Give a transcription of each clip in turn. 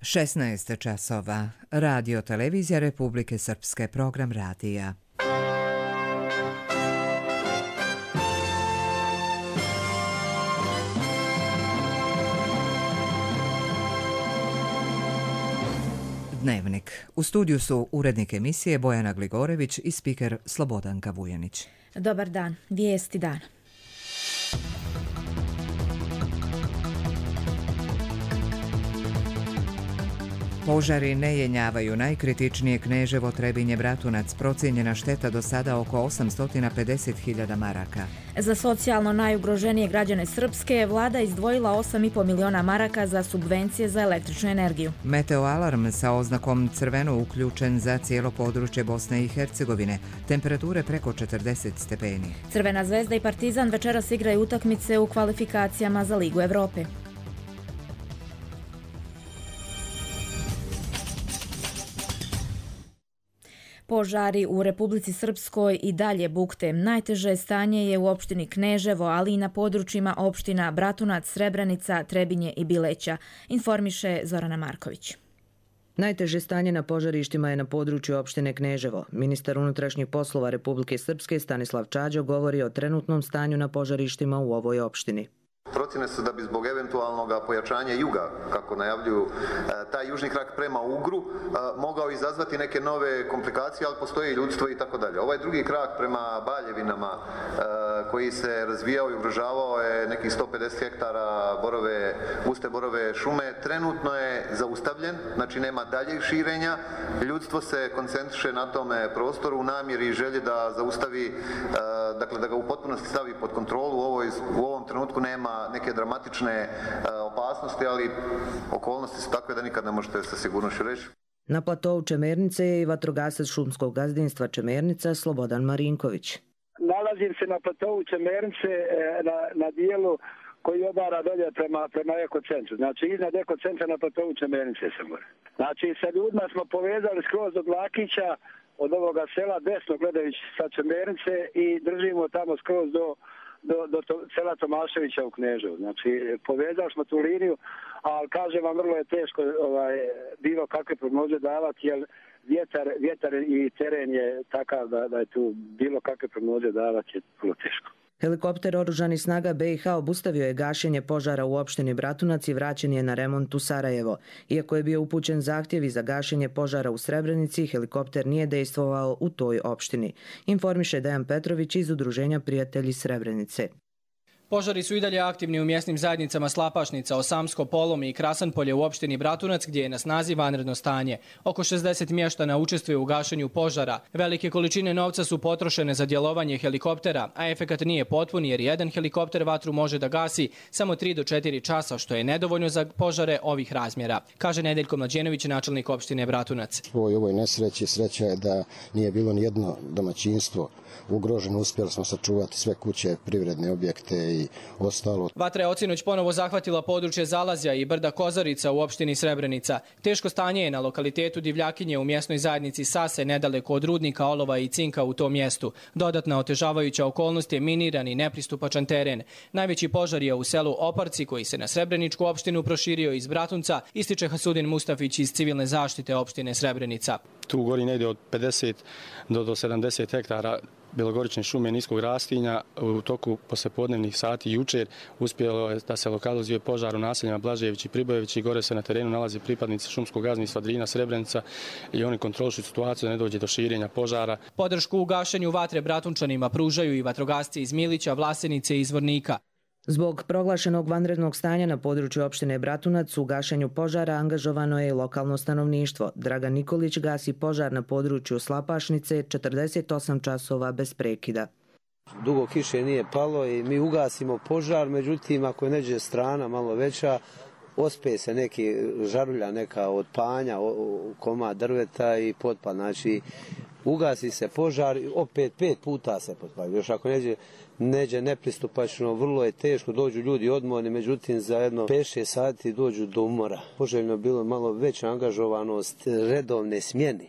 16 časova. Radio Televizija Republike Srpske, program radija. Dnevnik. U studiju su urednik emisije Bojana Gligorević i spiker Slobodanka Vujanić. Dobar dan. Vijesti dana. Požari ne jenjavaju najkritičnije Kneževo, Trebinje, Bratunac. Procijenjena šteta do sada oko 850.000 maraka. Za socijalno najugroženije građane Srpske vlada izdvojila 8,5 miliona maraka za subvencije za električnu energiju. Meteoalarm sa oznakom crveno uključen za cijelo područje Bosne i Hercegovine. Temperature preko 40 stepeni. Crvena zvezda i Partizan večeras igraju utakmice u kvalifikacijama za Ligu Evrope. Požari u Republici Srpskoj i dalje bukte. Najteže stanje je u opštini Kneževo, ali i na područjima opština Bratunac, Srebrenica, Trebinje i Bileća, informiše Zorana Marković. Najteže stanje na požarištima je na području opštine Kneževo. Ministar unutrašnjih poslova Republike Srpske Stanislav Čađo govori o trenutnom stanju na požarištima u ovoj opštini. Procjene su da bi zbog eventualnog pojačanja juga, kako najavljuju, taj južni krak prema Ugru mogao izazvati neke nove komplikacije, ali postoji ljudstvo i tako dalje. Ovaj drugi krak prema Baljevinama koji se razvijao i ugrožavao je nekih 150 hektara guste borove šume. Trenutno je zaustavljen, znači nema daljeg širenja. Ljudstvo se koncentriše na tome prostoru u namjeri i želji da zaustavi, dakle da ga u potpunosti stavi pod kontrolu. U ovom trenutku nema neke dramatične opasnosti, ali okolnosti su takve da nikad ne možete sa sigurnošću reći. Na platovu Čemernice je i vatrogasac šumskog gazdinstva Čemernica Slobodan Marinković. Nalazim se na platovu Čemernice na dijelu koji obara dolje prema ekocentru. Znači iznad ekocentra na platovu Čemernice sam gore. Znači sa ljudima smo povezali skroz do Blakića od ovoga sela desno gledajući sa Čemernice i držimo tamo skroz do sela Tomaševića u Kneževu. Znači, povezali smo tu liniju, ali kažem vam, vrlo je teško bilo kakve prognoze davati, jer vjetar i teren je takav da je tu bilo kakve prognoze davati je vrlo teško. Helikopter oružanih snaga BiH obustavio je gašenje požara u opštini Bratunac i vraćen je na remont u Sarajevo. Iako je bio upućen zahtjev za gašenje požara u Srebrenici, helikopter nije dejstvovao u toj opštini, informiše Dejan Petrović iz Udruženja Prijatelji Srebrenice. Požari su i dalje aktivni u mjesnim zajednicama Slapašnica, Osamsko, Polomi i Krasanpolje u opštini Bratunac, gdje je na snazi vanredno stanje. Oko 60 mještana učestvuje u gašenju požara. Velike količine novca su potrošene za djelovanje helikoptera, a efekat nije potpun jer jedan helikopter vatru može da gasi samo 3 do 4 časa, što je nedovoljno za požare ovih razmjera, kaže Nedeljko Mlađenović, načelnik opštine Bratunac. U ovoj nesreći sreća je da nije bilo nijedno domaćinstvo ugroženo. Uspjeli smo sačuvati sve kuće, privredne objekte i ostalo. Vatra je ocinoć ponovo zahvatila područje Zalazja i brda Kozarica u opštini Srebrenica. Teško stanje je na lokalitetu Divljakinje u mjesnoj zajednici Sase, nedaleko od rudnika olova i cinka u tom mjestu. Dodatna otežavajuća okolnost je miniran i nepristupačan teren. Najveći požar je u selu Oparci, koji se na Srebreničku opštinu proširio iz Bratunca, ističe Hasudin Mustafić iz civilne zaštite opštine Srebrenica. Tu gori negdje od 50 do 70 hektara bjelogorične šume niskog rastinja. U toku poslijepodnevnih sati jučer uspjelo je da se lokalizuje požar u naseljima Blažević i Pribojević i gore se na terenu nalaze pripadnici šumskog gazdinstva Drina, Srebrenica i oni kontrolišu situaciju da ne dođe do širenja požara. Podršku u gašenju vatre Bratunčanima pružaju i vatrogasci iz Milića, Vlasenice i Zvornika. Zbog proglašenog vanrednog stanja na području opštine Bratunac u gašenju požara angažovano je i lokalno stanovništvo. Dragan Nikolić gasi požar na području Slapašnice 48 časova bez prekida. Dugo kiše nije palo i mi ugasimo požar, međutim ako je neđe strana malo veća, ospe se neki žarulja neka od panja, komad drveta i potpal. Znači ugasi se požar i opet 5 puta se potpali. Još ako neđe nepristupačno, vrlo je teško, dođu ljudi odmorni, međutim za jedno 5-6 sati dođu do umora. Poželjno bilo malo veća angažovanost redovne smjene.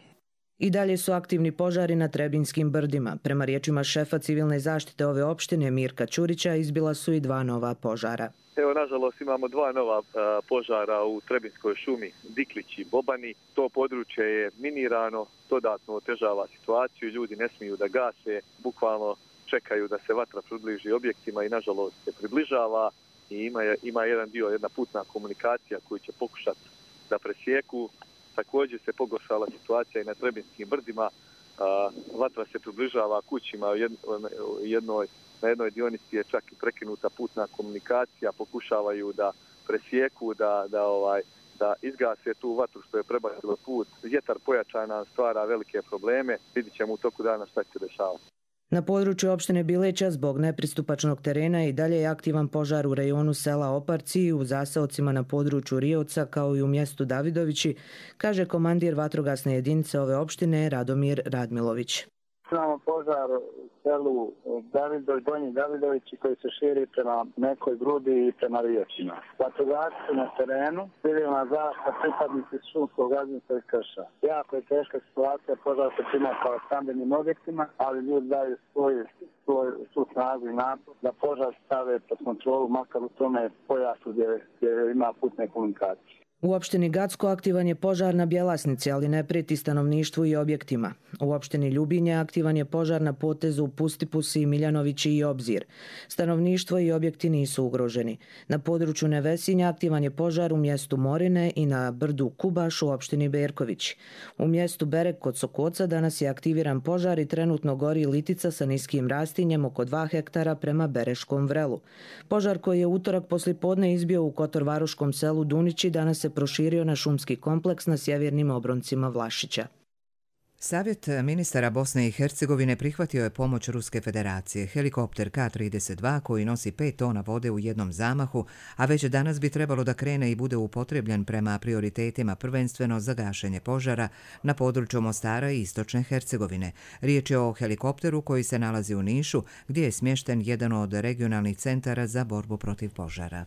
I dalje su aktivni požari na Trebinjskim brdima. Prema riječima šefa civilne zaštite ove opštine Mirka Ćurića izbila su i 2 nova požara. Evo, nažalost, imamo 2 nova požara u Trebinjskoj šumi, Diklić i Bobani. To područje je minirano, dodatno otežava situaciju, ljudi ne smiju da gase, bukvalno čekaju da se vatra približi objektima i nažalost se približava i ima jedan dio, jedna putna komunikacija koju će pokušati da presjeku. Također se pogoršala situacija i na Trebinjskim brdima. Vatra se približava kućima, na jednoj dionici je čak i prekinuta putna komunikacija, pokušavaju da presjeku, da izgase tu vatru što je prebacilo put. Vjetar pojačan stvara velike probleme, vidit ćemo u toku dana šta će dešavati. Na području opštine Bileća zbog nepristupačnog terena i dalje je aktivan požar u rejonu sela Oparci i u zaseocima na području Riovca kao i u mjestu Davidovići, kaže komandir vatrogasne jedinice ove opštine Radomir Radmilović. Imamo požar u selu Donji Davidovići koji se širi prema Nekoj Grudi i prema Riječima. Vatrogasci na terenu, civilna zaštita, pripadnici šumskog gazdinstva i krša. Jako je teška situacija, požar se čini kao stambenim objektima, ali ljudi daju svu snagu i napor da požar stave pod kontrolu, makar u tome pojasu gdje ima putne komunikacije. U opštini Gacko aktivan je požar na Bjelasnici, ali ne prijeti stanovništvu i objektima. U opštini Ljubinje aktivan je požar na potezu Pustipusi, Miljanovići i Obzir. Stanovništvo i objekti nisu ugroženi. Na području Nevesinja aktivan je požar u mjestu Morine i na brdu Kubaš u opštini Berković. U mjestu Berek kod Sokoca danas je aktiviran požar i trenutno gori litica sa niskim rastinjem oko 2 hektara prema Bereškom vrelu. Požar koji je utorak poslijepodne izbio u kotorvaroškom selu Dunići danas se proširio na šumski kompleks na sjevernim obroncima Vlašića. Savjet ministara Bosne i Hercegovine prihvatio je pomoć Ruske federacije. Helikopter K-32 koji nosi 5 tona vode u jednom zamahu, a već danas bi trebalo da krene i bude upotrebljen prema prioritetima prvenstveno za gašenje požara na području Mostara i Istočne Hercegovine. Riječ je o helikopteru koji se nalazi u Nišu, gdje je smješten jedan od regionalnih centara za borbu protiv požara.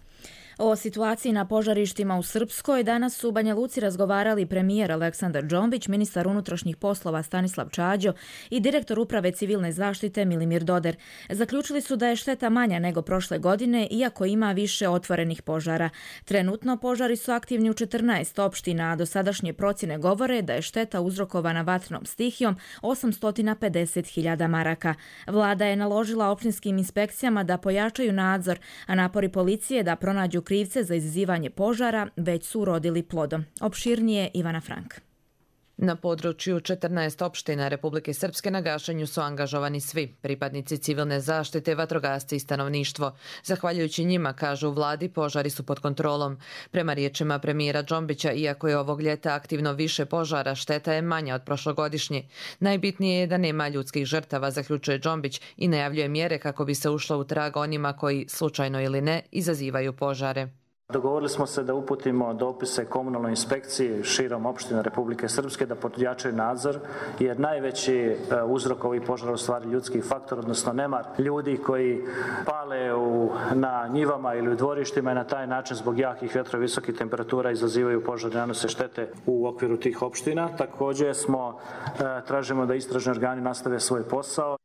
O situaciji na požarištima u Srpskoj danas su u Banja Luci razgovarali premijer Aleksandar Džombić, ministar unutrašnjih poslova Stanislav Čađo i direktor uprave civilne zaštite Milimir Doder. Zaključili su da je šteta manja nego prošle godine, iako ima više otvorenih požara. Trenutno požari su aktivni u 14 opština, a dosadašnje procjene govore da je šteta uzrokovana vatrenom stihijom 850.000 maraka. Vlada je naložila opštinskim inspekcijama da pojačaju nadzor, a napori policije da pronađu krivce za izazivanje požara već su urodili plodom. Opširnije Ivana Frank. Na području 14 opština Republike Srpske na gašenju su angažovani svi, pripadnici civilne zaštite, vatrogasci i stanovništvo. Zahvaljujući njima, kažu u vladi, požari su pod kontrolom. Prema riječima premijera Džombića, iako je ovog ljeta aktivno više požara, šteta je manja od prošlogodišnje. Najbitnije je da nema ljudskih žrtava, zaključuje Džombić i najavljuje mjere kako bi se ušlo u trag onima koji, slučajno ili ne, izazivaju požare. Dogovorili smo se da uputimo dopise komunalnoj inspekciji širom opština Republike Srpske da pojačaju nadzor, jer najveći uzrok ovih požara u stvari ljudski faktor, odnosno nemar ljudi koji pale na njivama ili u dvorištima i na taj način zbog jakih vjetrova i visokih temperatura izazivaju požare i nanose štete u okviru tih opština. Također tražimo da istražni organi nastave svoj posao.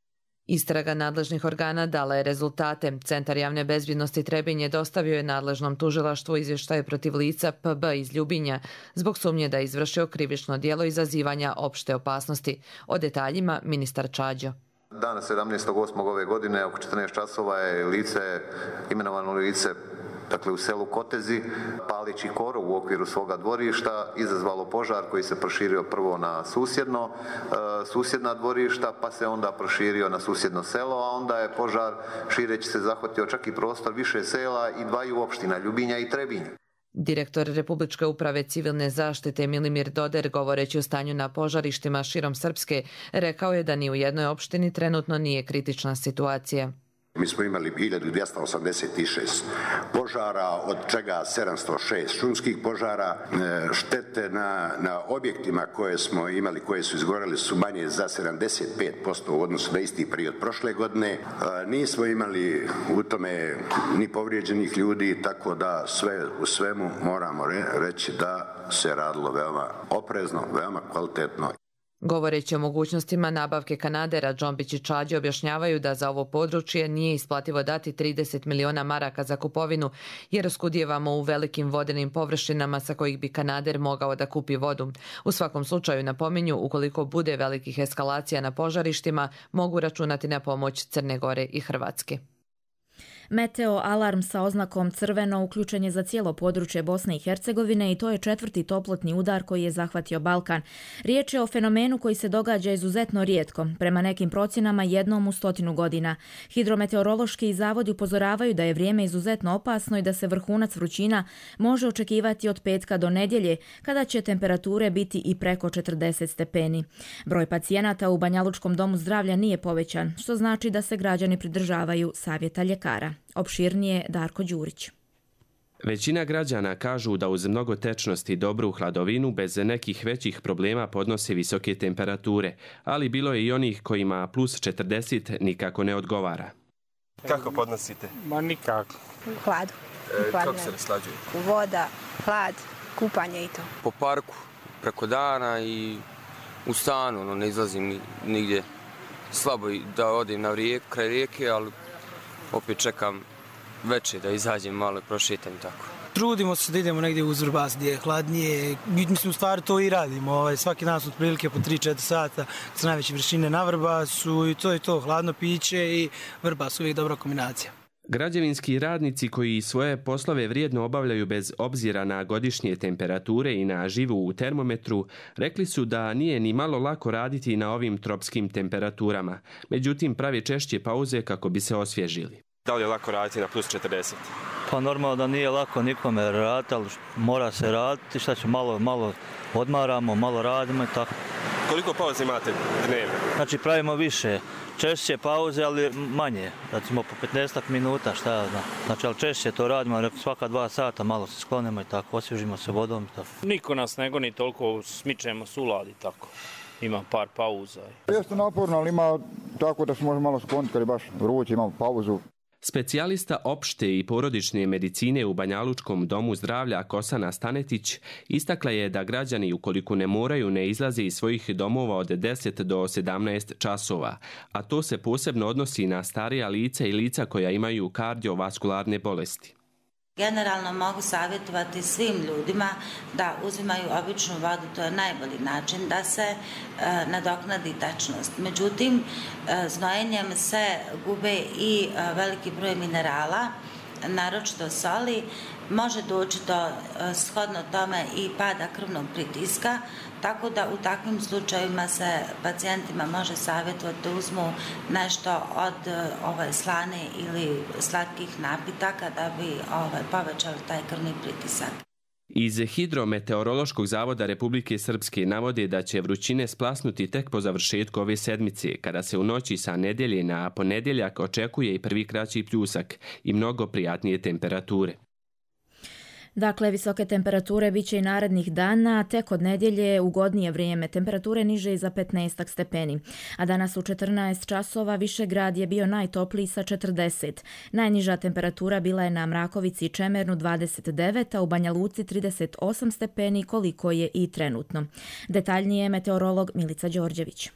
Istraga nadležnih organa dala je rezultate. Centar javne bezbjednosti Trebinje dostavio je nadležnom tužilaštvu izvještaje protiv lica PB iz Ljubinja zbog sumnje da je izvršio krivično djelo izazivanja opšte opasnosti. O detaljima ministar Čađo. Dana 17.8. ove godine oko 14 časova je imenovano lice u selu Kotezi, palići korov u okviru svoga dvorišta, izazvalo požar koji se proširio prvo na susjedna dvorišta, pa se onda proširio na susjedno selo, a onda je požar šireći se zahvatio čak i prostor više sela i 2 opština, Ljubinja i Trebinje. Direktor Republičke uprave civilne zaštite Milimir Doder, govoreći o stanju na požarištima širom Srpske, rekao je da ni u jednoj opštini trenutno nije kritična situacija. Mi smo imali 1286 požara, od čega 706 šumskih požara. Štete na objektima koje smo imali, koje su izgoreli, su manje za 75% u odnosu na isti period prošle godine. Nismo imali u tome ni povrijeđenih ljudi, tako da sve u svemu moramo reći da se radilo veoma oprezno, veoma kvalitetno. Govoreći o mogućnostima nabavke kanadera, Džombić i Čađi objašnjavaju da za ovo područje nije isplativo dati 30 miliona maraka za kupovinu, jer oskudijevamo u velikim vodenim površinama sa kojih bi kanader mogao da kupi vodu. U svakom slučaju napominju, ukoliko bude velikih eskalacija na požarištima, mogu računati na pomoć Crne Gore i Hrvatske. Meteo alarm sa oznakom crveno uključen je za cijelo područje Bosne i Hercegovine i to je 4. toplotni udar koji je zahvatio Balkan. Riječ je o fenomenu koji se događa izuzetno rijetko, prema nekim procjenama jednom u 100 godina. Hidrometeorološki zavodi upozoravaju da je vrijeme izuzetno opasno i da se vrhunac vrućina može očekivati od petka do nedjelje, kada će temperature biti i preko 40 stepeni. Broj pacijenata u Banjalučkom domu zdravlja nije povećan, što znači da se građani pridržavaju savjeta ljekara. Opširnije Darko Đurić. Većina građana kažu da uz mnogo tečnosti i dobru hladovinu bez nekih većih problema podnose visoke temperature, ali bilo je i onih kojima plus 40 nikako ne odgovara. Kako podnosite? Ma nikako. Hladu. Kako se raslađuje? Voda, hlad, kupanje i to. Po parku, preko dana i u stanu, ne izlazim nigdje. Slabo da odim na kraj rijeke, ali opet čekam večer da izađem malo, prošetam i tako. Trudimo se da idemo negdje uz Vrbas gdje je hladnije. Mislim, u stvari to i radimo. Svaki dan su otprilike po 3-4 sata sa najveće vršine na Vrbasu i to je to. Hladno piće i Vrbas uvijek dobra kombinacija. Građevinski radnici koji svoje poslove vrijedno obavljaju bez obzira na godišnje temperature i na živu u termometru, rekli su da nije ni malo lako raditi na ovim tropskim temperaturama. Međutim, prave češće pauze kako bi se osvježili. Da li je lako raditi na plus 40? Pa normalno da nije lako nikome raditi, ali mora se raditi. Šta ću, malo odmaramo, malo radimo i tako. Koliko pauze imate dnevno? Znači pravimo više. Češće pauze, ali manje. Recimo po 15 minuta, šta ja znam. Znači, ali češće to radimo, svaka 2 sata malo se sklonimo i tako, osvježimo se vodom i tako. Niko nas ne goni toliko, smičemo sulad i tako. Ima par pauza. Jeste naporno, ali ima tako da se može malo skloniti, kad je baš vruće, imamo pauzu. Specijalista opšte i porodične medicine u Banjalučkom domu zdravlja Kosana Stanetić istakla je da građani, ukoliko ne moraju, ne izlaze iz svojih domova od 10 do 17 časova, a to se posebno odnosi na starija lica i lica koja imaju kardiovaskularne bolesti. Generalno mogu savjetovati svim ljudima da uzimaju običnu vodu, to je najbolji način da se nadoknadi tečnost. Međutim, znojenjem se gube i veliki broj minerala, naročito soli, može doći do shodno tome i pada krvnog pritiska, tako da u takvim slučajevima se pacijentima može savjetovati da uzmu nešto od slane ili slatkih napitaka da bi povećali taj krvni pritisak. Iz Hidrometeorološkog zavoda Republike Srpske navode da će vrućine splasnuti tek po završetku ove sedmice, kada se u noći sa nedjelje na ponedjeljak očekuje i prvi kraći pljusak i mnogo prijatnije temperature. Dakle, visoke temperature bit će i narednih dana, tek od nedjelje ugodnije vrijeme. Temperature niže i za 15 stepeni. A danas u 14 časova Višegrad je bio najtopliji sa 40. Najniža temperatura bila je na Mrakovici i Čemernu 29, a u Banja Luci 38 stepeni, koliko je i trenutno. Detaljnije meteorolog Milica Đorđević.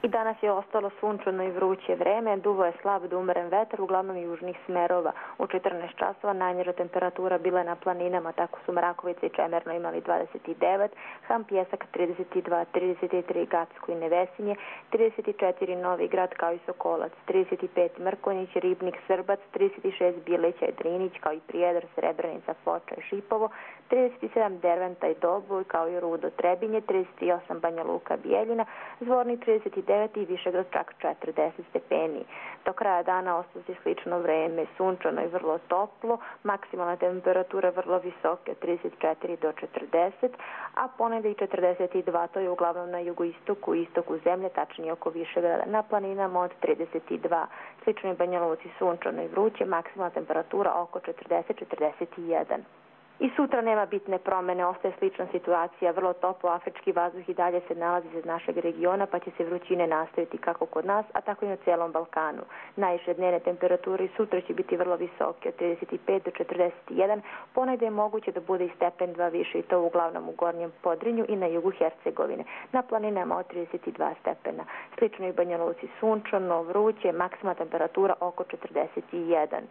I danas je ostalo sunčano i vruće vreme, duvo je slab do umeren vetar, uglavnom južnih smerova. U 14 časova najniža temperatura bila je na planinama, tako su Mrakovica i Čemerno imali 29, Ham Pjesak 32, 33 Gacko i Nevesinje, 34 Novi Grad kao i Sokolac, 35 Mrkonjić, Ribnik, Srbac, 36 Bileća i Drinić kao i Prijedor, Srebrenica, Foča i Šipovo, 37 Derventa i Doboj kao i Rudo, Trebinje, 38 Banja Luka, Bijeljina, Zvornik 39 i Višegrad čak 40 stepeni. Do kraja dana ostaje slično vreme, sunčano i vrlo toplo, maksimalna temperatura vrlo visoka, 34 do 40, a ponedje i 42, to je uglavnom na jugoistoku i istoku zemlje, tačnije oko Višegrada, na planinama od 32. Slično je Banja Luci sunčano i vruće, maksimalna temperatura oko 40-41. I sutra nema bitne promene, ostaje slična situacija, vrlo toplo afrički vazduh i dalje se nalazi iz našeg regiona, pa će se vrućine nastaviti kako kod nas, a tako i na cijelom Balkanu. Najviše dnevne temperature sutra će biti vrlo visoke, od 35 do 41, ponegdje je moguće da bude i stepen 2 više i to uglavnom u Gornjem Podrinju i na jugu Hercegovine. Na planinama od 32 stepena. Slično i u Banja Luci sunčano, vruće, maksimalna temperatura oko 41.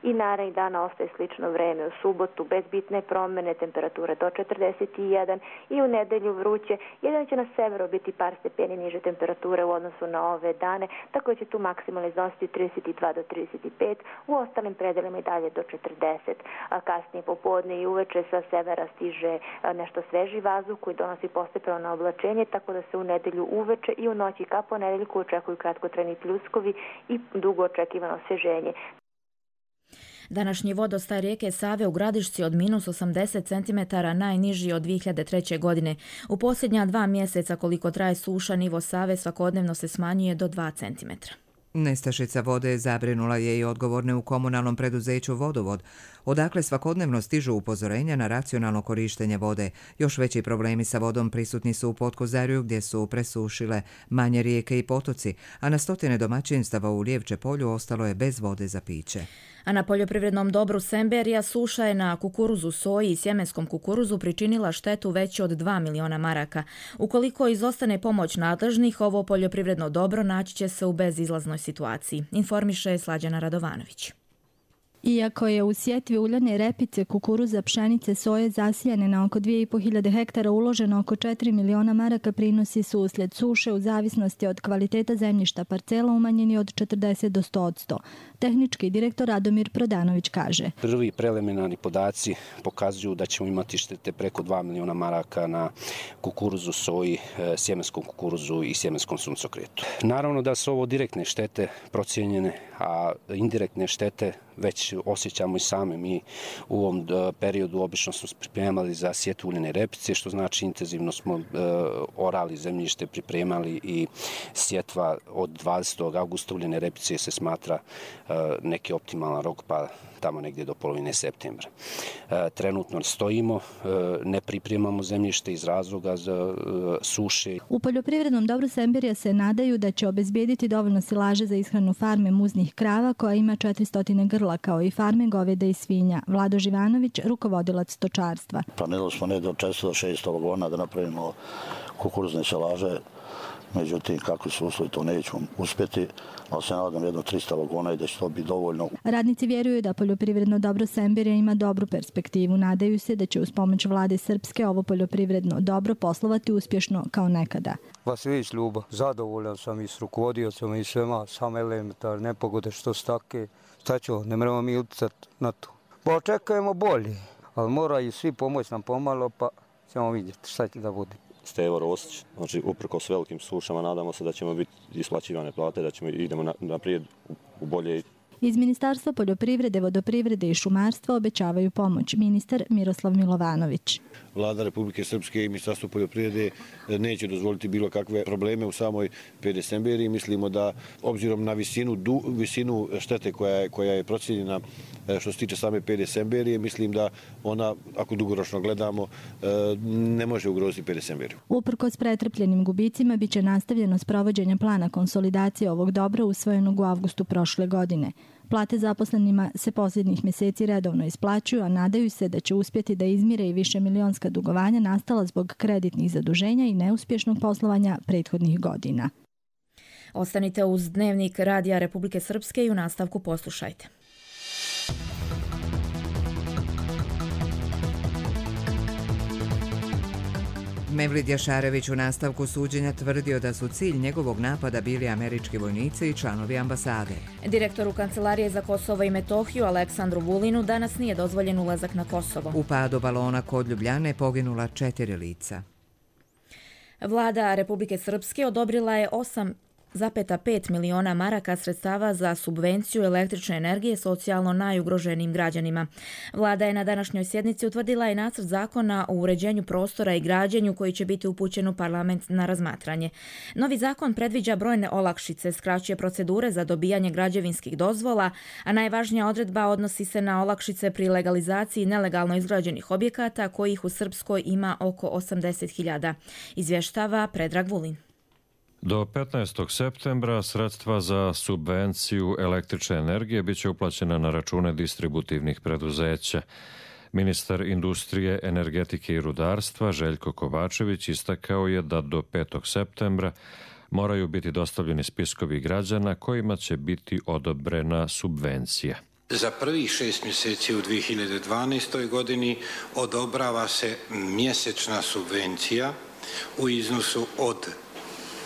I narednih dana ostaje slično vreme. U subotu bez bitne promjene, temperature do 41 i u nedelju vruće. Jedino će na severu biti par stepeni niže temperature u odnosu na ove dane, tako će tu maksimalno iznositi 32 do 35, u ostalim predelima i dalje do 40. A kasnije popodne i uveče sa severa stiže nešto sveži vazduh koji donosi postepeno na oblačenje, tako da se u nedelju uveče i u noći ka ponedeljku očekuju kratkotrajni pljuskovi i dugo očekivano osvježenje. Današnji vodostaj rijeke Save u Gradišci od minus 80 cm najniži od 2003. godine. U posljednja 2 mjeseca koliko traje suša, nivo Save svakodnevno se smanjuje do 2 cm. Nestašica vode zabrinula je i odgovorne u komunalnom preduzeću Vodovod, odakle svakodnevno stižu upozorenja na racionalno korištenje vode. Još veći problemi sa vodom prisutni su u Potkozarju gdje su presušile manje rijeke i potoci, a na stotine domaćinstava u Lijevče polju ostalo je bez vode za piće. A na poljoprivrednom dobru Semberija suša je na kukuruzu, soji i sjemenskom kukuruzu pričinila štetu veću od 2 miliona maraka. Ukoliko izostane pomoć nadležnih, ovo poljoprivredno dobro naći će se u bezizlaznoj situaciji, informiše Slađana Radovanović. Iako je u sjetvi uljane repice, kukuruza, pšenice, soje zasijane na oko 2500 hektara uloženo oko 4 miliona maraka, prinosi su uslijed suše u zavisnosti od kvaliteta zemljišta parcela umanjeni od 40 do 100%. Tehnički direktor Radomir Prodanović kaže: Prvi preliminarni podaci pokazuju da ćemo imati štete preko 2 miliona maraka na kukuruzu, soji, sjemenskom kukuruzu i sjemenskom suncokretu. Naravno da su ovo direktne štete procijenjene, a indirektne štete već osjećamo i same. Mi u ovom periodu obično smo pripremali za sjetvu uljane repice, što znači intenzivno smo orali zemljište, pripremali i sjetva od 20. augusta uljane repice se smatra neki optimalan rok, pa tamo negdje do polovine septembra. Trenutno stojimo, ne pripremamo zemljište iz razloga za suše. U poljoprivrednom dobru Semberija se nadaju da će obezbijediti dovoljno silaže za ishranu farme muznih krava koja ima 400 grla, kao i farme goveda i svinja. Vlado Živanović, rukovodilac stočarstva. Planirali smo ne do 400 do 600 vagona da napravimo kukuruzne silaže. Međutim, kakvi su uslovi, to nećemo uspjeti, ali se nadam jedno 300 vagona i da će to biti dovoljno. Radnici vjeruju da poljoprivredno dobro Semberija ima dobru perspektivu. Nadaju se da će uz pomoć vlade Srpske ovo poljoprivredno dobro poslovati uspješno kao nekada. Vasilić Ljuba, zadovoljan sam i s rukovodiocom i svema, same elementarne nepogode što su take. Šta ćemo, ne moramo mi utjecati na to. Pa očekujemo bolje, ali moraju svi pomoći nam pomalo, pa ćemo vidjeti šta će da bude. Stevo Rosić, znači uprkos velikim sušama nadamo se da ćemo biti isplaćivane plate, da idemo naprijed u bolje. Iz Ministarstva poljoprivrede, vodoprivrede i šumarstva obećavaju pomoć ministar Miroslav Milovanović. Vlada Republike Srpske i Ministarstvo poljoprivrede neće dozvoliti bilo kakve probleme u samoj PD Semberiji. Mislimo da obzirom na visinu štete koja je procijenjena što se tiče same PD Semberije, mislim da ona, ako dugoročno gledamo, ne može ugroziti PD Semberiju. Uprkos pretrpljenim gubicima biće nastavljeno sprovođenje plana konsolidacije ovog dobra usvojenog u avgustu prošle godine. Plate zaposlenima se posljednjih mjeseci redovno isplaćuju, a nadaju se da će uspjeti da izmire i višemilionska dugovanja nastala zbog kreditnih zaduženja i neuspješnog poslovanja prethodnih godina. Ostanite uz Dnevnik Radija Republike Srpske i u nastavku poslušajte. Mevlid Jašarević u nastavku suđenja tvrdio da su cilj njegovog napada bili američki vojnici i članovi ambasade. Direktoru Kancelarije za Kosovo i Metohiju Aleksandru Vulinu danas nije dozvoljen ulazak na Kosovo. U padu balona kod Ljubljane poginula 4 lica. Vlada Republike Srpske odobrila je 8 1,5 miliona maraka sredstava za subvenciju električne energije socijalno najugroženijim građanima. Vlada je na današnjoj sjednici utvrdila i nacrt zakona o uređenju prostora i građenju koji će biti upućen u parlament na razmatranje. Novi zakon predviđa brojne olakšice, skraćuje procedure za dobijanje građevinskih dozvola, a najvažnija odredba odnosi se na olakšice pri legalizaciji nelegalno izgrađenih objekata kojih u Srpskoj ima oko 80.000. Izvještava Predrag Vulin. Do 15. septembra sredstva za subvenciju električne energije biće uplaćena na račune distributivnih preduzeća. Ministar industrije, energetike i rudarstva Željko Kovačević istakao je da do 5. septembra moraju biti dostavljeni spiskovi građana kojima će biti odobrena subvencija. Za prvih 6 mjeseci u 2012. godini odobrava se mjesečna subvencija u iznosu od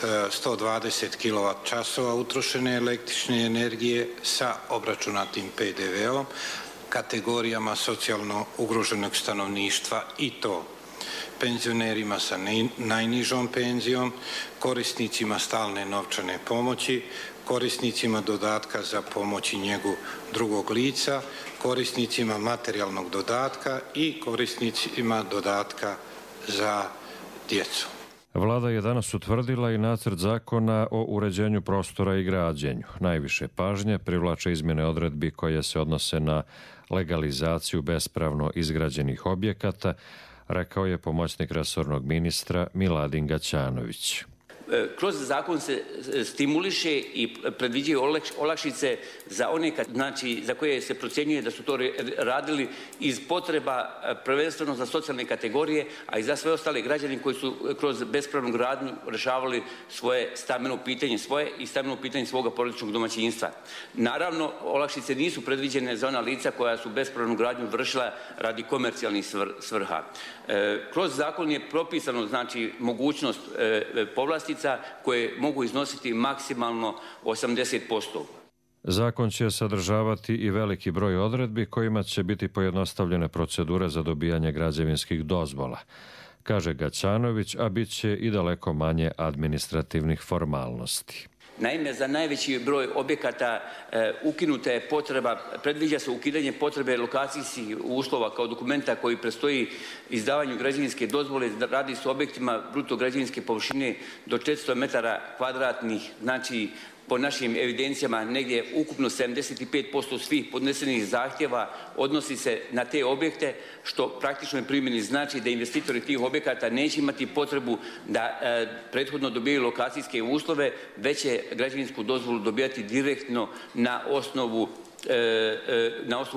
120 kWh utrošene električne energije sa obračunatim PDV-om kategorijama socijalno ugroženog stanovništva i to penzionerima sa najnižom penzijom, korisnicima stalne novčane pomoći, korisnicima dodatka za pomoć i njegu drugog lica, korisnicima materijalnog dodatka i korisnicima dodatka za djecu. Vlada je danas utvrdila i nacrt zakona o uređenju prostora i građenju. Najviše pažnje privlače izmjene odredbi koje se odnose na legalizaciju bespravno izgrađenih objekata, rekao je pomoćnik resornog ministra Miladin Gaćanović. Kroz zakon se stimuliše i predviđaju olakšice za one, znači za koje se procjenjuje da su to radili iz potreba prvenstveno za socijalne kategorije, a i za sve ostale građane koji su kroz bespravnu gradnju rješavali svoje stambeno pitanje i stambeno pitanje svoga porodičnog domaćinstva. Naravno, olakšice nisu predviđene za ona lica koja su bespravnu gradnju vršila radi komercijalnih svrha. Kroz zakon je propisano znači mogućnost povlastica koje mogu iznositi maksimalno 80%. Zakon će sadržavati i veliki broj odredbi kojima će biti pojednostavljene procedure za dobijanje građevinskih dozvola, kaže Gaćanović, a bit će i daleko manje administrativnih formalnosti. Naime, za najveći broj objekata ukinuta je potreba, predviđa se ukidanje potrebe lokacijskih uslova kao dokumenta koji predstoji izdavanju građevinske dozvole. Radi se o objektima bruto građevinske površine do 400 metara kvadratnih, znači po našim evidencijama negdje ukupno 75% svih podnesenih zahtjeva odnosi se na te objekte, što praktično primjeni znači da investitori tih objekata neće imati potrebu da prethodno dobijaju lokacijske uslove, već će građevinsku dozvolu dobijati direktno na osnovu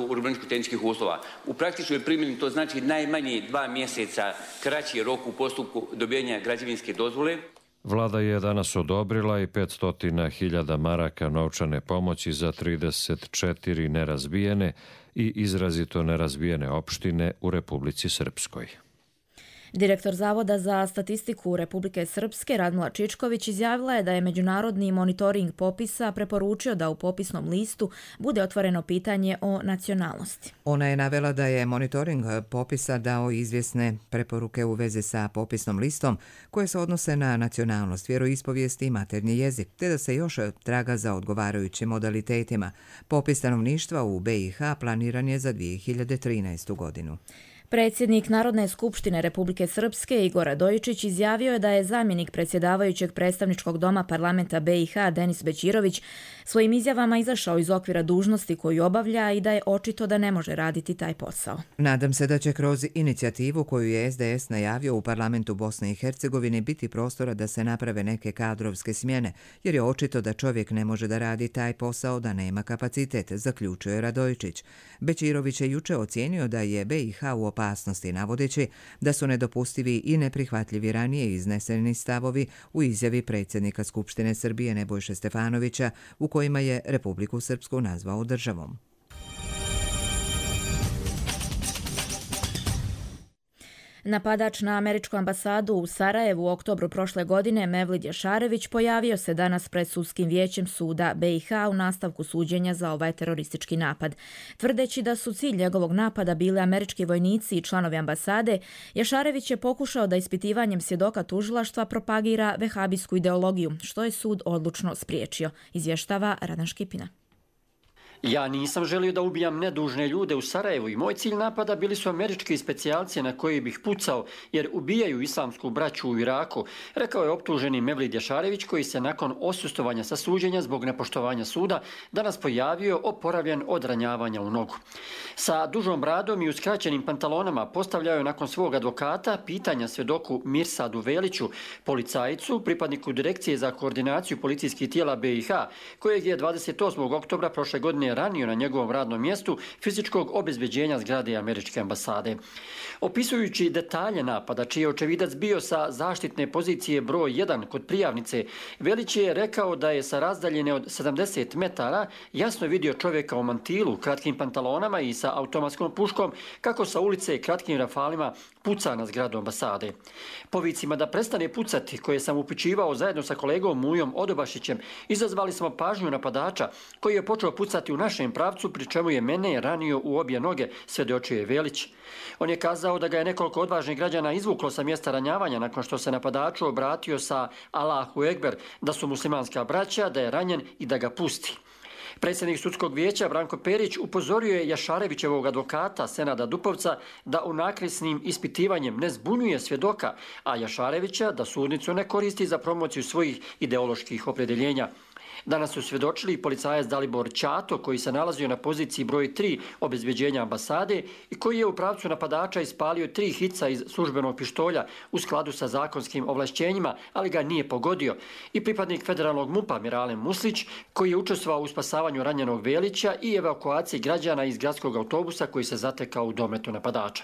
urbanističko-tehničkih uslova. U praktičnoj primjeni to znači najmanje 2 mjeseca kraći rok u postupku dobijanja građevinske dozvole. Vlada je danas odobrila i 500.000 maraka novčane pomoći za 34 nerazvijene i izrazito nerazvijene opštine u Republici Srpskoj. Direktor Zavoda za statistiku Republike Srpske Radmila Čičković izjavila je da je međunarodni monitoring popisa preporučio da u popisnom listu bude otvoreno pitanje o nacionalnosti. Ona je navela da je monitoring popisa dao izvjesne preporuke u vezi sa popisnom listom koje se odnose na nacionalnost, vjeroispovijest i maternji jezik, te da se još traga za odgovarajućim modalitetima. Popis stanovništva u BiH planiran je za 2013. godinu. Predsjednik Narodne skupštine Republike Srpske Igor Radojičić izjavio je da je zamjenik predsjedavajućeg predstavničkog doma parlamenta BiH Denis Bećirović svojim izjavama izašao iz okvira dužnosti koju obavlja i da je očito da ne može raditi taj posao. Nadam se da će kroz inicijativu koju je SDS najavio u parlamentu Bosne i Hercegovine biti prostora da se naprave neke kadrovske smjene, jer je očito da čovjek ne može da radi taj posao, da nema kapacitet, zaključuje Radojičić. Bećirović je juče ocijenio da je BiH u opasnosti, navodeći da su nedopustivi i neprihvatljivi ranije izneseni stavovi u izjavi predsjednika Skupštine Srbije Nebojše Stefanovića u kojima je Republiku Srpsku nazvao državom. Napadač na američku ambasadu u Sarajevu u oktobru prošle godine, Mevlid Jašarević, pojavio se danas pred sudskim vijećem suda BiH u nastavku suđenja za ovaj teroristički napad. Tvrdeći da su cilj njegovog napada bili američki vojnici i članovi ambasade, Jašarević je pokušao da ispitivanjem svjedoka tužilaštva propagira vehabijsku ideologiju, što je sud odlučno spriječio, izvještava Radan Škipina. Ja nisam želio da ubijam nedužne ljude u Sarajevu i moj cilj napada bili su američki specijalci na koji bih pucao jer ubijaju islamsku braću u Iraku, rekao je optuženi Mevlid Jašarević koji se nakon osustovanja sa suđenja zbog nepoštovanja suda danas pojavio oporavljen od ranjavanja u nogu. Sa dužom bradom i uskraćenim pantalonama postavljao je nakon svog advokata pitanja svjedoku Mirsadu Veliću, policajcu, pripadniku Direkcije za koordinaciju policijskih tijela BiH, kojeg je 28. oktobra prošle godine ranio na njegovom radnom mjestu fizičkog obezbeđenja zgrade američke ambasade. Opisujući detalje napada, čiji je očevidac bio sa zaštitne pozicije broj 1 kod prijavnice, Velić je rekao da je sa razdaljene od 70 metara jasno vidio čovjeka u mantilu, kratkim pantalonama i sa automatskom puškom, kako sa ulice kratkim rafalima puca na zgradu ambasade. Po vicima da prestane pucati, koje sam upućivao zajedno sa kolegom Mujom Odobašićem, izazvali smo pažnju napadača, koji je počeo pucati u našem pravcu, pri čemu je mene ranio u obje noge, svjedočio Velić. On je kazao da ga je nekoliko odvažnih građana izvuklo sa mjesta ranjavanja nakon što se napadaču obratio sa Allahu Ekber, da su muslimanska braća, da je ranjen i da ga pusti. Predsjednik sudskog vijeća Branko Perić upozorio je Jašarevićevog advokata Senada Dupovca da unakrsnim ispitivanjem ne zbunjuje svjedoka, a Jašarevića da sudnicu ne koristi za promociju svojih ideoloških opredjeljenja. Danas su svjedočili policajac Dalibor Ćato, koji se nalazio na poziciji broj 3 obezbeđenja ambasade i koji je u pravcu napadača ispalio 3 hica iz službenog pištolja u skladu sa zakonskim ovlašćenjima, ali ga nije pogodio. I pripadnik federalnog MUP-a Miralem Muslić, koji je učestvovao u spasavanju ranjenog Velića i evakuaciji građana iz gradskog autobusa koji se zatekao u dometu napadača.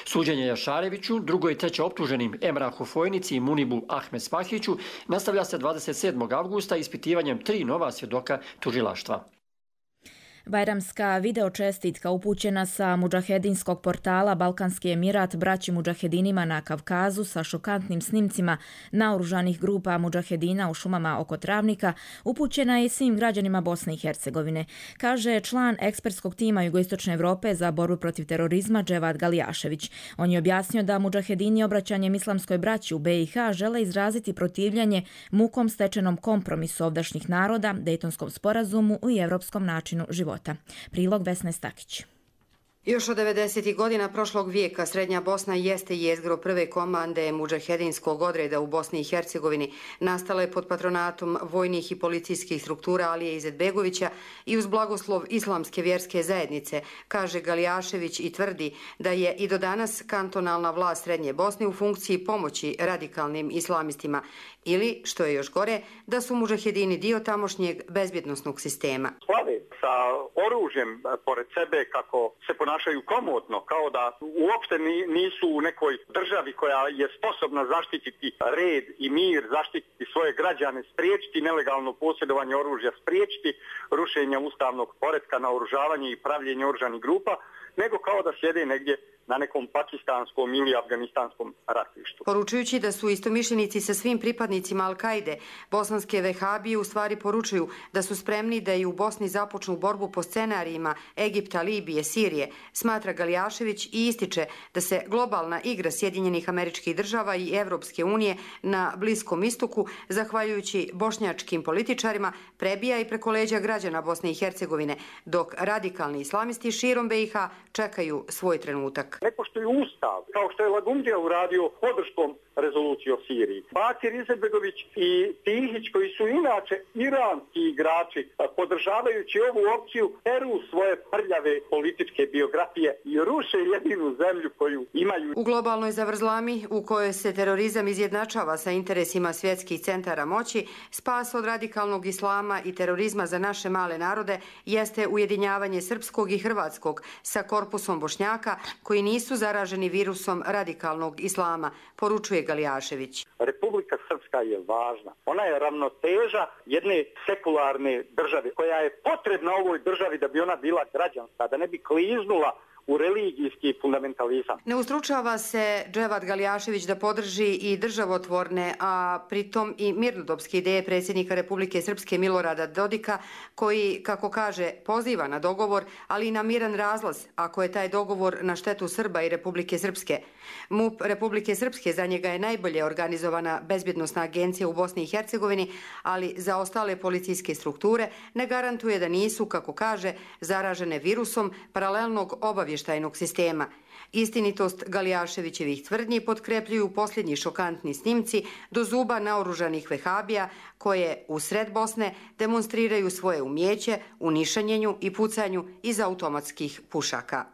Suđenje Jašareviću, drugo i treće optuženim Emrahu Fojnici i Munibu Ahmed Spahiću nastavlja se 27. avgusta ispitivanjem 3 nova svjedoka tužilaštva. Bajramska videočestitka upućena sa mudžahedinskog portala Balkanski Emirat braći mudžahedinima na Kavkazu sa šokantnim snimcima naoružanih grupa mudžahedina u šumama oko Travnika upućena je svim građanima Bosne i Hercegovine, kaže član ekspertskog tima Jugoistočne Evrope za borbu protiv terorizma Dževad Galijašević. On je objasnio da mudžahedini obraćanjem islamskoj braći u BiH žele izraziti protivljanje mukom stečenom kompromisu ovdašnjih naroda, Dejtonskom sporazumu i evropskom načinu života. Prilog Vesne Stakić. Još od 90. godina prošlog vijeka Srednja Bosna jeste jezgro prve komande mudžahedinskog odreda u Bosni i Hercegovini. Nastala je pod patronatom vojnih i policijskih struktura Alije Izetbegovića i uz blagoslov islamske vjerske zajednice, kaže Galijašević i tvrdi da je i do danas kantonalna vlast Srednje Bosne u funkciji pomoći radikalnim islamistima ili, što je još gore, da su mudžahedini dio tamošnjeg bezbjednosnog sistema. Slave sa oružjem pored sebe kako se ponašaju komotno, kao da uopšte nisu u nekoj državi koja je sposobna zaštititi red i mir, zaštititi svoje građane, spriječiti nelegalno posjedovanje oružja, spriječiti rušenje ustavnog poretka, naoružavanje i pravljenje oružanih grupa, nego kao da sjede negdje na nekom pakistanskom ili afganistanskom ratištu. Poručujući da su istomišljenici sa svim pripadnicima Al-Kaide, bosanske vehabije u stvari poručuju da su spremni da i u Bosni započnu borbu po scenarijima Egipta, Libije, Sirije, smatra Galijašević i ističe da se globalna igra Sjedinjenih Američkih Država i Evropske unije na Bliskom istoku, zahvaljujući bošnjačkim političarima, prebija i preko leđa građana Bosne i Hercegovine, dok radikalni islamisti širom BiH čekaju svoj trenutak. Ne poštuju ustav, kao što je Lagumdija uradio podrškom rezoluciji o Siriji. Bakir Izetbegović i Tihić, koji su inače iranski igrači, podržavajući ovu opciju, peru svoje prljave političke biografije i ruše jedinu zemlju koju imaju. U globalnoj zavrzlami, u kojoj se terorizam izjednačava sa interesima svjetskih centara moći, spas od radikalnog islama i terorizma za naše male narode jeste ujedinjavanje srpskog i hrvatskog sa korpusom Bošnjaka koji nisu zaraženi virusom radikalnog islama, poručuje Galijašević. Republika Srpska je važna. Ona je ravnoteža jedne sekularne države koja je potrebna ovoj državi da bi ona bila građanska, da ne bi kliznula u religijski fundamentalizam. Ne ustručava se Dževad Galjašević da podrži i državotvorne, a pritom i mirnodopske ideje predsjednika Republike Srpske Milorada Dodika, koji, kako kaže, poziva na dogovor, ali i na miran razlaz, ako je taj dogovor na štetu Srba i Republike Srpske. MUP Republike Srpske za njega je najbolje organizovana bezbjednosna agencija u Bosni i Hercegovini, ali za ostale policijske strukture ne garantuje da nisu, kako kaže, zaražene virusom paralelnog obavještajnog sistema. Istinitost Galjaševićevih tvrdnji potkrepljuju posljednji šokantni snimci do zuba naoružanih vehabija koje u sred Bosne demonstriraju svoje umjeće u nišanjenju i pucanju iz automatskih pušaka.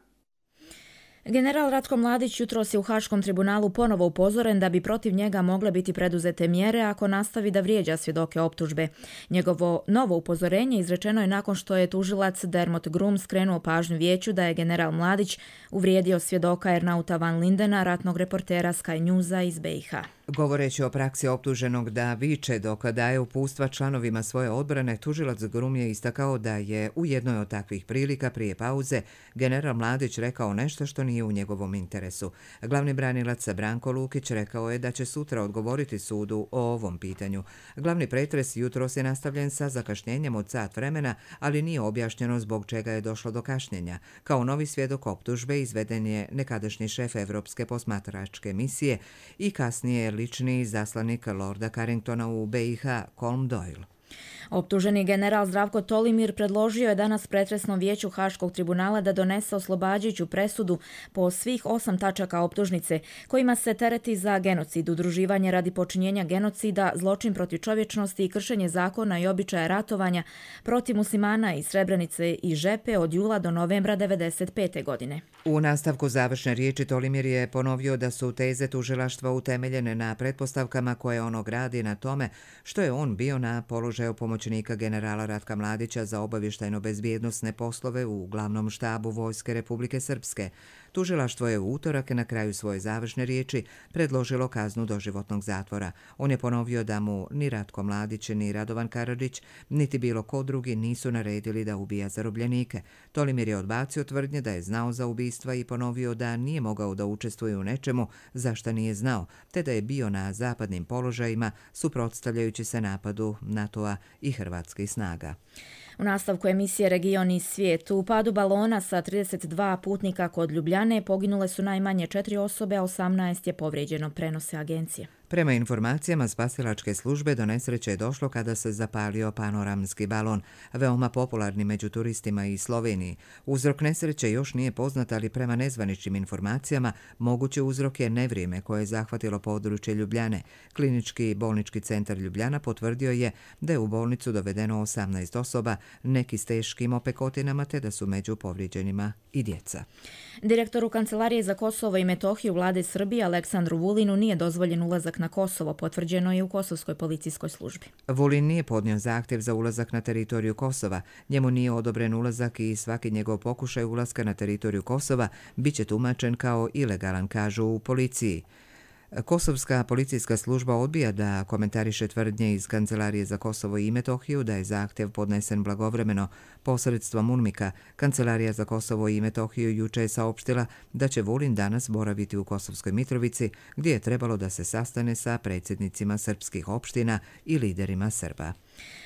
General Ratko Mladić jutros je u Haškom tribunalu ponovo upozoren da bi protiv njega mogle biti preduzete mjere ako nastavi da vrijeđa svjedoke optužbe. Njegovo novo upozorenje izrečeno je nakon što je tužilac Dermot Grum skrenuo pažnju vijeću da je general Mladić uvrijedio svjedoka Ernauta van Lindena, ratnog reportera Sky Newsa iz BiH. Govoreći o praksi optuženog da viče dok daje upustva članovima svoje odbrane, tužilac Grum je istakao da je u jednoj od takvih prilika prije pauze general Mladić rekao nešto što nije u njegovom interesu. Glavni branilac Branko Lukić rekao je da će sutra odgovoriti sudu o ovom pitanju. Glavni pretres jutros je nastavljen sa zakašnjenjem od sat vremena, ali nije objašnjeno zbog čega je došlo do kašnjenja. Kao novi svjedok optužbe izveden je nekadašnji šef Evropske posmatračke misije i kasnije lični zaslanik Lorda Carringtona u BiH, Colm Doyle. Optuženi general Zdravko Tolimir predložio je danas pretresnom vijeću Haškog tribunala da donese oslobađajuću presudu po svih 8 tačaka optužnice, kojima se tereti za genocid, udruživanje radi počinjenja genocida, zločin protiv čovječnosti i kršenje zakona i običaja ratovanja protiv muslimana iz Srebrenice i Žepe od jula do novembra 1995. godine. U nastavku završne riječi Tolimir je ponovio da su teze tužilaštva utemeljene na pretpostavkama koje ono gradi na tome što je on bio na položaju pomoćnika generala Ratka Mladića za obavještajno-bezbjednosne poslove u glavnom štabu Vojske Republike Srpske. Tužilaštvo je u utorak na kraju svoje završne riječi predložilo kaznu doživotnog zatvora. On je ponovio da mu ni Ratko Mladić, ni Radovan Karadžić, niti bilo ko drugi nisu naredili da ubija zarobljenike. Tolimir je odbacio tvrdnje da je znao za ubistva i ponovio da nije mogao da učestvuje u nečemu za šta nije znao, te da je bio na zapadnim položajima suprotstavljajući se napadu NATO-a i hrvatskih snaga. U nastavku emisije Region i svijet, u padu balona sa 32 putnika kod Ljubljane poginule su najmanje 4 osobe, a 18 je povrijeđeno, prenose agencije. Prema informacijama spasilačke službe do nesreće je došlo kada se zapalio panoramski balon, veoma popularni među turistima iz Sloveniji. Uzrok nesreće još nije poznat, ali prema nezvaničnim informacijama mogući uzrok je nevrijeme koje je zahvatilo područje Ljubljane. Klinički bolnički centar Ljubljana potvrdio je da je u bolnicu dovedeno 18 osoba, neki s teškim opekotinama, te da su među povrijeđenima i djeca. Direktoru Kancelarije za Kosovo i Metohiju vlade Srbije Aleksandru Vulinu nije dozvoljen ulazak na Kosovo, potvrđeno je u Kosovskoj policijskoj službi. Vulin nije podnio zahtjev za ulazak na teritoriju Kosova. Njemu nije odobren ulazak i svaki njegov pokušaj ulaska na teritoriju Kosova biće tumačen kao ilegalan, kažu u policiji. Kosovska policijska služba odbija da komentariše tvrdnje iz Kancelarije za Kosovo i Metohiju da je zahtjev podnesen blagovremeno posredstvom UNMIK-a. Kancelarija za Kosovo i Metohiju juče je saopštila da će Vulin danas boraviti u Kosovskoj Mitrovici, gdje je trebalo da se sastane sa predsjednicima srpskih opština i liderima Srba.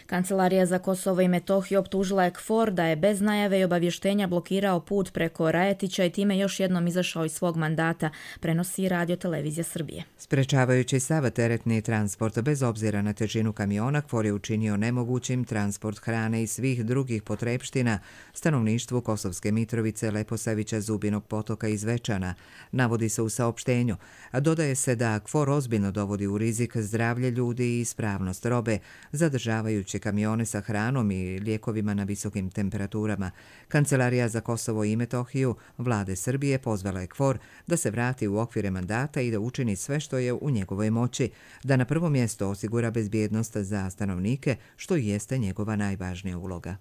Kancelarija za Kosovo i Metohiju optužila je KFOR da je bez najave i obavještenja blokirao put preko Rajetića i time još jednom izašao iz svog mandata, prenosi Radio Televizija Srbije. Sprečavajući sav teretni transport bez obzira na težinu kamiona, KFOR je učinio nemogućim transport hrane i svih drugih potrepština stanovništvu Kosovske Mitrovice, Leposavića, Zubinog Potoka i Zvečana, navodi se u saopštenju. Dodaje se da KFOR ozbiljno dovodi u rizik zdravlje ljudi i ispravnost robe, zadržavajući kamione sa hranom i lijekovima na visokim temperaturama. Kancelarija za Kosovo i Metohiju vlade Srbije pozvala je KFOR da se vrati u okvire mandata i da učini sve što je u njegovoj moći, da na prvo mjesto osigura bezbjednost za stanovnike, što jeste njegova najvažnija uloga.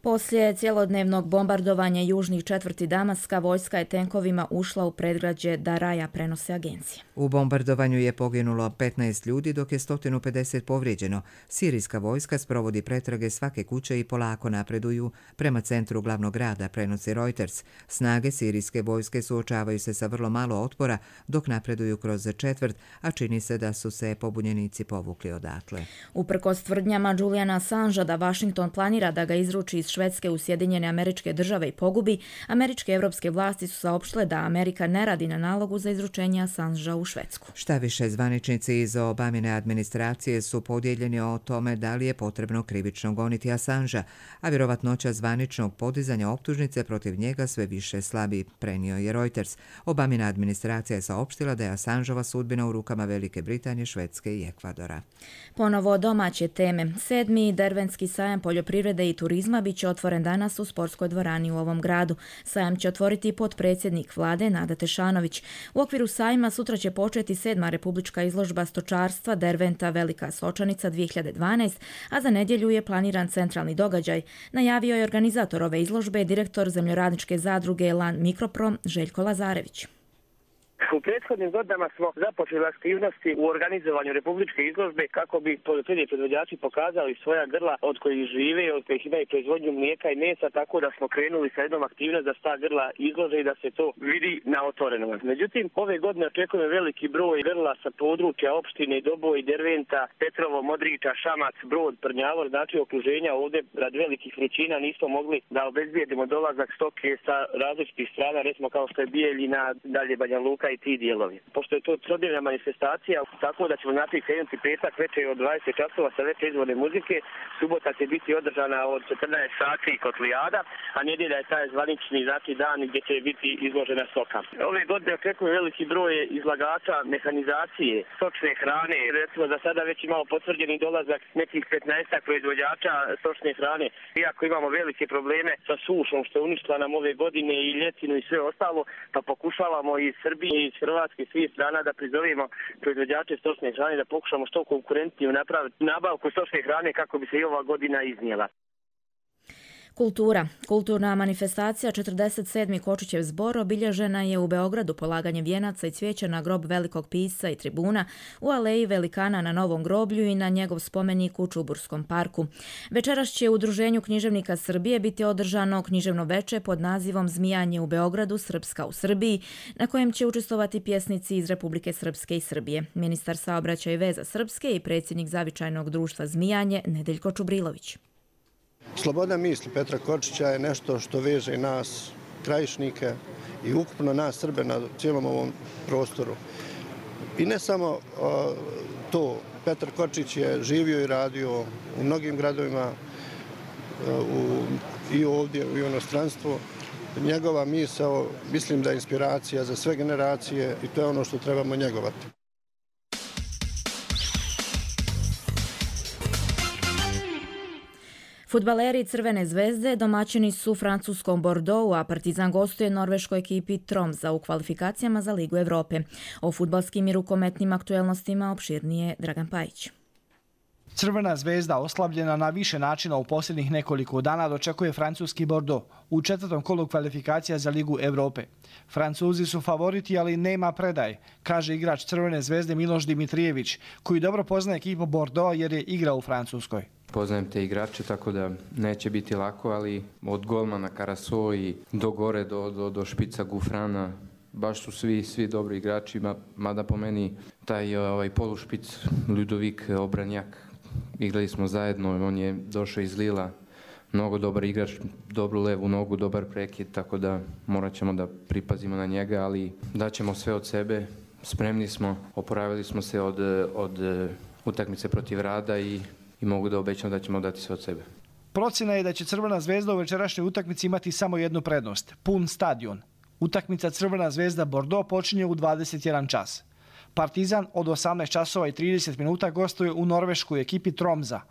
Poslije cjelodnevnog bombardovanja južnih četvrti Damaska, vojska je tenkovima ušla u predgrađe Daraja, prenose agencije. U bombardovanju je poginulo 15 ljudi, dok je 150 povrijeđeno. Sirijska vojska sprovodi pretrage svake kuće i polako napreduju prema centru glavnog grada, prenosi Reuters. Snage sirijske vojske suočavaju se sa vrlo malo otpora dok napreduju kroz četvrt, a čini se da su se pobunjenici povukli odatle. Uprkos tvrdnjama Juliana Assangea da Washington planira da ga izruči iz Švedske u Sjedinjene Američke Države i pogubi, američke i evropske vlasti su saopštile da Amerika ne radi na nalogu za izručenje Assangea u Švedsku. Šta više, zvaničnici iz Obamine administracije su podijeljeni o tome da li je potrebno krivično goniti Assangea, a vjerovatnoća zvaničnog podizanja optužnice protiv njega sve više slabi, prenio je Reuters. Obamina administracija je saopštila da je Assangeova sudbina u rukama Velike Britanije, Švedske i Ekvadora. Ponovo domaće teme. 7. Derventski sajam poljoprivrede i turizma bit će otvoren danas u sportskoj dvorani u ovom gradu. Sajam će otvoriti potpredsjednik vlade Nada Tešanović. U okviru sajma sutra će početi 7. republička izložba stočarstva Derventa Velika Sočanica 2012, a za nedjelju je planiran centralni događaj. Najavio je organizator ove izložbe direktor zemljoradničke zadruge Lan Mikroprom Željko Lazarević. U prethodnim godinama smo započeli aktivnosti u organizovanju republičke izložbe kako bi poljoprivredni proizvođači pokazali svoja grla od kojih žive, od kojih imaju proizvodnju mlijeka i mesa, tako da smo krenuli sa jednom aktivnost da se ta grla izlože i da se to vidi na otvorenom. Međutim, ove godine očekujemo veliki broj grla sa područja opštine Doboj, Derventa, Petrovo, Modriča, Šamac, Brod, Prnjavor, znači okruženja. Ovdje radi velikih vrućina nismo mogli da obezbijedimo dolazak stoke sa različitih strana, recimo kao što je Bijeljina, dalje Banja Luka i ti dijelovi. Pošto je to trodnevna manifestacija, tako da ćemo naprijed krenuti petak večer od 20 časova sa veće izvorne muzike, subota će biti održana od 14 sati kotlijada, a nedjelja je taj zvanični dan gdje će biti izložena stoka. Ove godine očekujemo veliki broj izlagača mehanizacije, stočne hrane, recimo za sada već imamo potvrđeni dolazak nekih 15 proizvođača stočne hrane. Iako imamo velike probleme sa sušom što je uništila nam ove godine i ljetinu i sve ostalo, pa pokušavamo iz Srbije i iz Hrvatske svih strana da prizovemo proizvođače stočne hrane da pokušamo što konkurentniju napraviti nabavku stočne hrane kako bi se i ova godina iznijela. Kultura. Kulturna manifestacija 47. Kočićev zbor obilježena je u Beogradu polaganjem vijenaca i cvijeća na grob velikog pisca i tribuna, u aleji velikana na Novom groblju i na njegov spomenik u Čuburskom parku. Večeras će u Udruženju književnika Srbije biti održano književno veče pod nazivom Zmijanje u Beogradu, Srpska u Srbiji, na kojem će učestvovati pjesnici iz Republike Srpske i Srbije. Ministar saobraćaja i veza Srpske i predsjednik Zavičajnog društva Zmijanje Nedeljko Čubrilović. Sloboda misli Petra Kočića je nešto što veže nas, krajišnike i ukupno nas Srbe na cijelom ovom prostoru. I ne samo to, Petar Kočić je živio i radio u mnogim gradovima i ovdje u inostranstvu. Njegova misao, mislim da je inspiracija za sve generacije i to je ono što trebamo njegovati. Fudbaleri Crvene zvezde domaćini su francuskom Bordeauxu, a Partizan gostuje norveškoj ekipi Tromsa u kvalifikacijama za Ligu Evrope. O fudbalskim i rukometnim aktuelnostima opširnije Dragan Pajić. Crvena zvezda, oslabljena na više načina u posljednjih nekoliko dana, dočekuje francuski Bordeaux u četvrtom kolu kvalifikacija za Ligu Evrope. Francuzi su favoriti, ali nema predaj, kaže igrač Crvene zvezde Miloš Dimitrijević, koji dobro poznaje ekipu Bordeaux jer je igrao u Francuskoj. Poznajem te igrače, tako da neće biti lako, ali od golmana Karaso i do gore, do špica Gufrana, baš su svi dobri igrači, mada po meni taj polušpic Ludovik Obranjak, igrali smo zajedno, on je došao iz Lila, mnogo dobar igrač, dobru levu nogu, dobar prekid, tako da morat ćemo da pripazimo na njega, ali daćemo sve od sebe, spremni smo, oporavili smo se od utakmice protiv Rada i mogu da obećam da ćemo dati sve od sebe. Procjena je da će Crvena zvezda u večerašnjoj utakmici imati samo jednu prednost, pun stadion. Utakmica Crvena zvezda Bordeaux počinje u 21 čas. Partizan od 18 časova i 30 minuta gostuje u norveškoj ekipi Tromsa.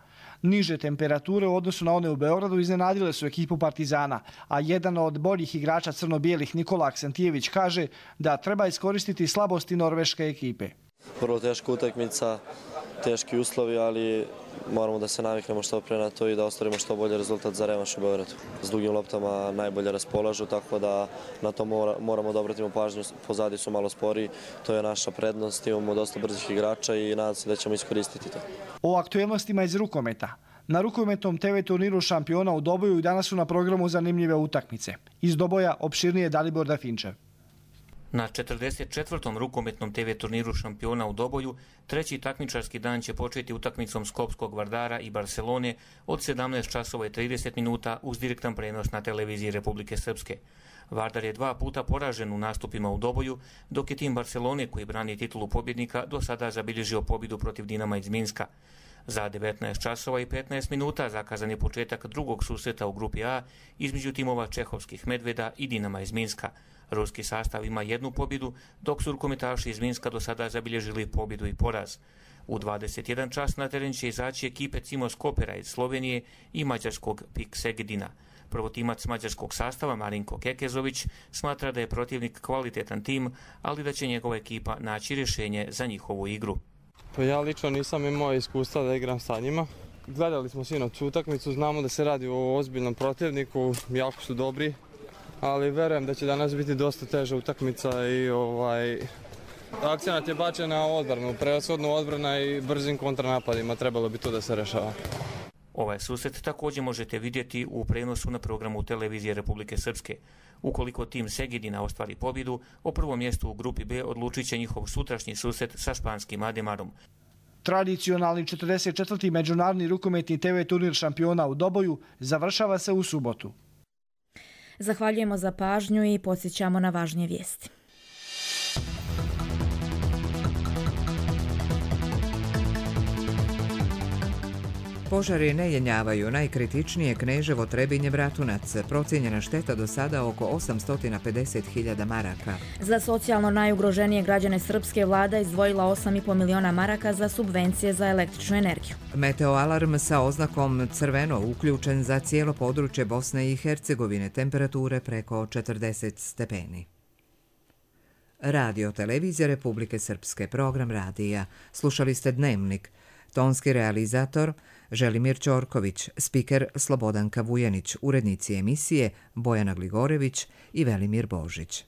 Niže temperature u odnosu na one u Beogradu iznenadile su ekipu Partizana, a jedan od boljih igrača crno-bijelih Nikola Aksentijević kaže da treba iskoristiti slabosti norveške ekipe. Prvo teška utakmica, teški uslovi, ali moramo da se naviknemo što pre na to i da ostvarimo što bolji rezultat za revanš u Beogradu. S dugim loptama najbolje raspolažu, tako da na to moramo da obratimo pažnju. Pozadi su malo sporiji, to je naša prednost, imamo dosta brzih igrača i nadam se da ćemo iskoristiti to. O aktuelnostima iz rukometa. Na rukometnom TV turniru šampiona u Doboju i danas su na programu zanimljive utakmice. Iz Doboja opširnije Dalibor Dafinčev. Na 44. rukometnom TV turniru šampiona u Doboju, treći takmičarski dan će početi utakmicom Skopskog Vardara i Barcelone od 17 časova i 30 minuta uz direktan prenos na televiziji Republike Srpske. Vardar je 2 puta poražen u nastupima u Doboju, dok je tim Barcelone, koji brani titulu pobjednika, do sada zabilježio pobjedu protiv Dinama iz Minska. Za 19 časova i 15 minuta zakazan je početak drugog susreta u grupi A između timova Čehovskih Medveda i Dinama iz Minska. Ruski sastav ima 1 pobjedu, dok su rukometaši iz Minska do sada zabilježili pobjedu i poraz. U 21 čas na teren će izaći ekipe Cimos Kopera iz Slovenije i mađarskog PIK Segedina. Prvotimac mađarskog sastava Marinko Kekezović smatra da je protivnik kvalitetan tim, ali da će njegova ekipa naći rješenje za njihovu igru. Pa ja lično nisam imao iskustva da igram sa njima. Gledali smo sinoć utakmicu, znamo da se radi o ozbiljnom protivniku, jako su dobri, ali verujem da će danas biti dosta teža utakmica i akcenat je bačen na odbranu, prevashodno odbrana i brzim kontranapadima, trebalo bi to da se rešava. Ovaj susret također možete vidjeti u prenosu na programu televizije Republike Srpske. Ukoliko tim Segedina ostvari pobjedu, o prvom mjestu u grupi B odlučit će njihov sutrašnji susret sa španskim Ademarom. Tradicionalni 44. međunarodni rukometni TV turnir šampiona u Doboju završava se u subotu. Zahvaljujemo za pažnju i podsjećamo na važnije vijesti. Požari ne jenjavaju najkritičnije Kneževo, Trebinje, Bratunac. Procijenjena šteta do sada oko 850.000 maraka. Za socijalno najugroženije građane Srpske vlada izdvojila 8,5 miliona maraka za subvencije za električnu energiju. Meteoalarm sa oznakom crveno uključen za cijelo područje Bosne i Hercegovine, temperature preko 40 stepeni. Radio Televizija Republike Srpske, program radija. Slušali ste Dnevnik. Tonski realizator Želimir Ćorković, spiker Slobodanka Vujanić, urednici emisije Bojana Gligorević i Velimir Božić.